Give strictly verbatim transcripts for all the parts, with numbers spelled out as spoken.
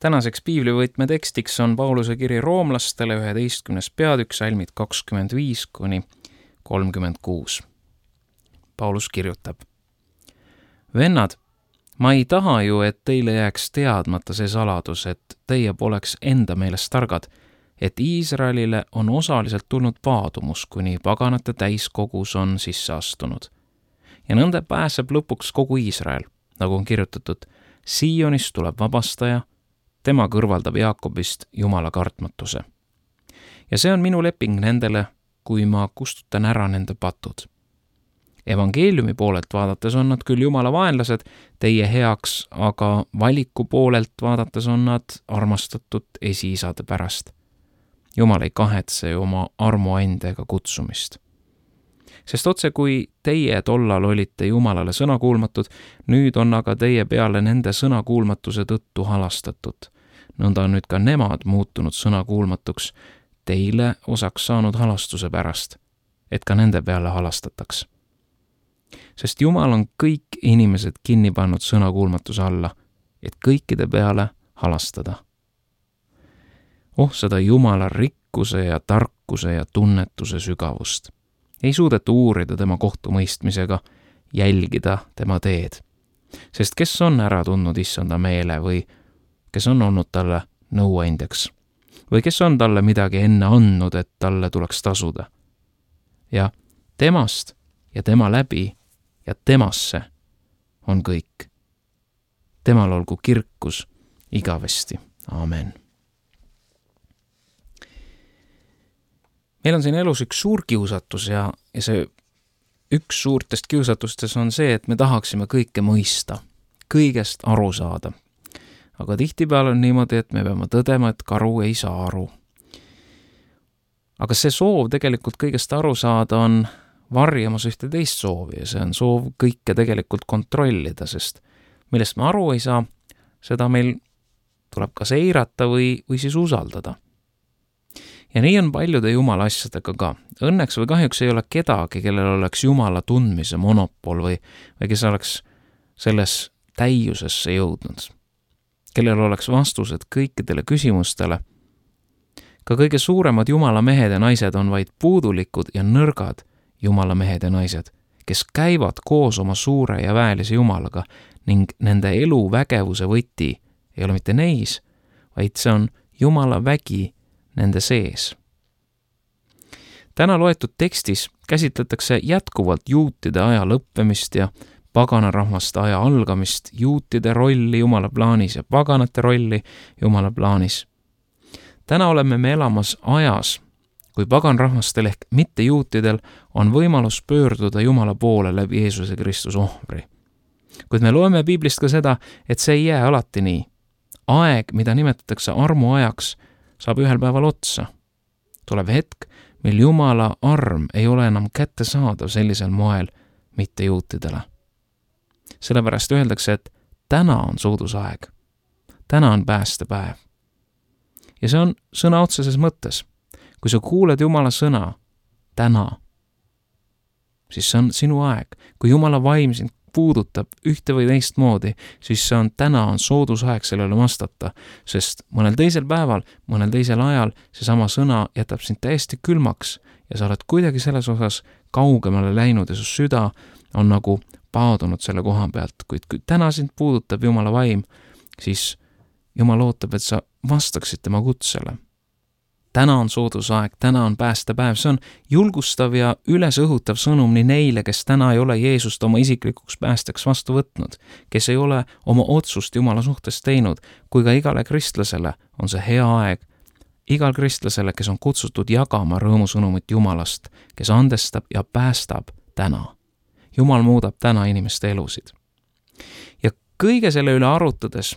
Tänaseks piiblivõtme tekstiks on Pauluse kiri roomlastele üheteistkümnes peatükk, salmid kakskümmend viis kuni kolmkümmend kuus. Paulus kirjutab: Vennad, ma ei taha ju, et teile jääks teadmata see saladus, et teie poleks enda meelest targad, et Iisraelile on osaliselt tulnud paadumus, kuni paganate täiskogus on sisse astunud. Ja nõnda pääseb lõpuks kogu Iisrael, nagu on kirjutatud, Siionist tuleb vabastaja, tema kõrvaldab Jaakobist Jumala kartmatuse. Ja see on minu leping nendele, kui ma kustutan ära nende patud. Evangeeliumi poolelt vaadates on nad küll Jumala vaenlased teie heaks, aga valiku poolelt vaadates on nad armastatud esiisade pärast. Jumal ei kahetse oma armuandega kutsumist. Sest otse kui teie tollal olite Jumalale sõnakuulmatud, nüüd on aga teie peale nende sõnakuulmatuse tõttu halastatud. Nõnda on nüüd ka nemad muutunud sõnakuulmatuks, teile osaks saanud halastuse pärast, et ka nende peale halastataks. Sest Jumal on kõik inimesed kinni pannud sõnakuulmatuse alla, et kõikide peale halastada. Oh, seda Jumala rikkuse ja tarkuse ja tunnetuse sügavust. Ei suudeta uurida tema kohtumõistmisega, jälgida tema teed. Sest kes on ära tundnud issanda meele või kes on olnud talle nõuandjaks? Või kes on talle midagi enne andnud, et talle tuleks tasuda? Ja temast ja tema läbi ja temasse on kõik. Temal olgu kirkus igavesti. Amen. Meil on siin elus üks suur kiusatus ja, ja see üks suurtest kiusatustes on see, et me tahaksime kõike mõista, kõigest aru saada. Aga tihtipeale on niimoodi, et me peame tõdema, et karu ei saa aru. Aga see soov tegelikult kõigest aru saada on varjamas ühte teist soovi ja see on soov kõike tegelikult kontrollida, sest millest me aru ei saa, seda meil tuleb kas eirata või, või siis usaldada. Ja nii on paljude Jumala asjadega ka. Õnneks või kahjuks ei ole kedagi, kellel oleks Jumala tundmise monopol või, või kes oleks selles täiusesse jõudnud. Kellel oleks vastused kõikidele küsimustele. Ka kõige suuremad Jumala mehed ja naised on vaid puudulikud ja nõrgad Jumala mehed ja naised, kes käivad koos oma suure ja väelise Jumalaga ning nende elu vägevuse võti ei ole mitte neis, vaid see on Jumala vägi nende sees. Täna loetud tekstis käsitletakse jätkuvalt juutide aja lõppemist ja paganarahvaste aja algamist, juutide rolli Jumala plaanis ja paganate rolli Jumala plaanis. Täna oleme me elamas ajas, kui paganrahvastel ehk mitte juutidel on võimalus pöörduda Jumala poole läbi Jeesuse Kristuse ohvri. Kuid me loeme piiblist ka seda, et see ei jää alati nii. Aeg, mida nimetatakse armuajaks, saab ühel päeval otsa. Tuleb hetk, mil Jumala arm ei ole enam kättesaadav sellisel moel mitte juutidele. Sellepärast öeldakse, et täna on soodusaeg. Täna on päästepäev. Ja see on sõna otseses mõttes. Kui sa kuuled Jumala sõna täna, siis see on sinu aeg. Kui Jumala vaim sind puudutab ühte või teist moodi, siis see on täna on soodusaeg sellele vastata, sest mõnel teisel päeval, mõnel teisel ajal seesama sõna jätab sind täiesti külmaks ja sa oled kuidagi selles osas kaugemale läinud ja su süda on nagu paadunud selle koha pealt, kuid kui täna sind puudutab Jumala vaim, siis Jumal ootab, et sa vastaksid tema kutsele. Täna on soodusaeg, täna on päästepäev, see on julgustav ja ülesõhutav sõnum nii neile, kes täna ei ole Jeesust oma isiklikuks päästeks vastu võtnud, kes ei ole oma otsust Jumala suhtes teinud, kui ka igale kristlasele on see hea aeg, igal kristlasele, kes on kutsutud jagama rõõmusõnumit Jumalast, kes andestab ja päästab täna. Jumal muudab täna inimeste elusid. Ja kõige selle üle arutades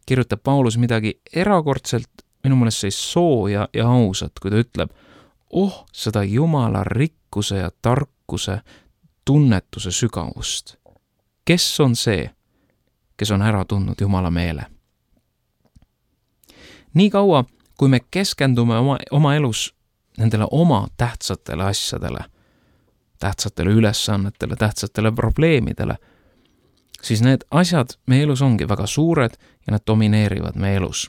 kirjutab Paulus midagi erakordselt minu mõelest see sooja ja ausat, kui ta ütleb, oh, seda Jumala rikkuse ja tarkuse tunnetuse sügavust. Kes on see, kes on ära tundnud Jumala meele? Nii kaua, kui me keskendume oma, oma elus nendele oma tähtsatele asjadele, tähtsatele ülesannetele, tähtsatele probleemidele, siis need asjad meie elus ongi väga suured ja nad domineerivad meie elus.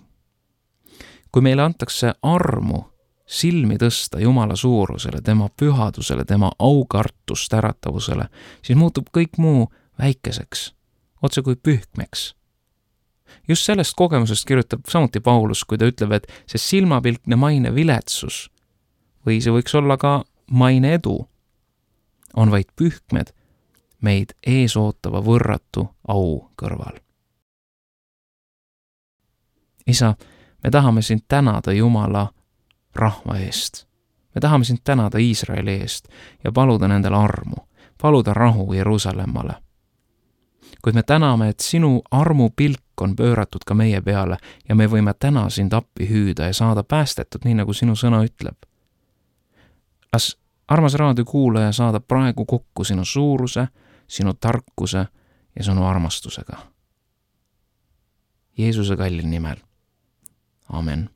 kui meile antakse armu silmi tõsta Jumala suurusele, tema pühadusele, tema aukartust äratavusele, siis muutub kõik muu väikeseks, otse kui pühkmeks. Just sellest kogemusest kirjutab samuti Paulus, kui ta ütleb, et see silmapilkne maine viletsus või see võiks olla ka maine edu, on vaid pühkmed meid eesootava võrratu au kõrval. Isa, me tahame sind tänada Jumala rahva eest. Me tahame sind tänada Iisraeli eest ja paluda nendele armu, paluda rahu Jeruusalemmale. Kuid me täname, et sinu armupilk on pööratud ka meie peale ja me võime täna sind appi hüüda ja saada päästetud, nii nagu sinu sõna ütleb. Las armas raadiokuulaja saada praegu kokku sinu suuruse, sinu tarkuse ja sinu armastusega. Jeesuse kallil nimel. Amen.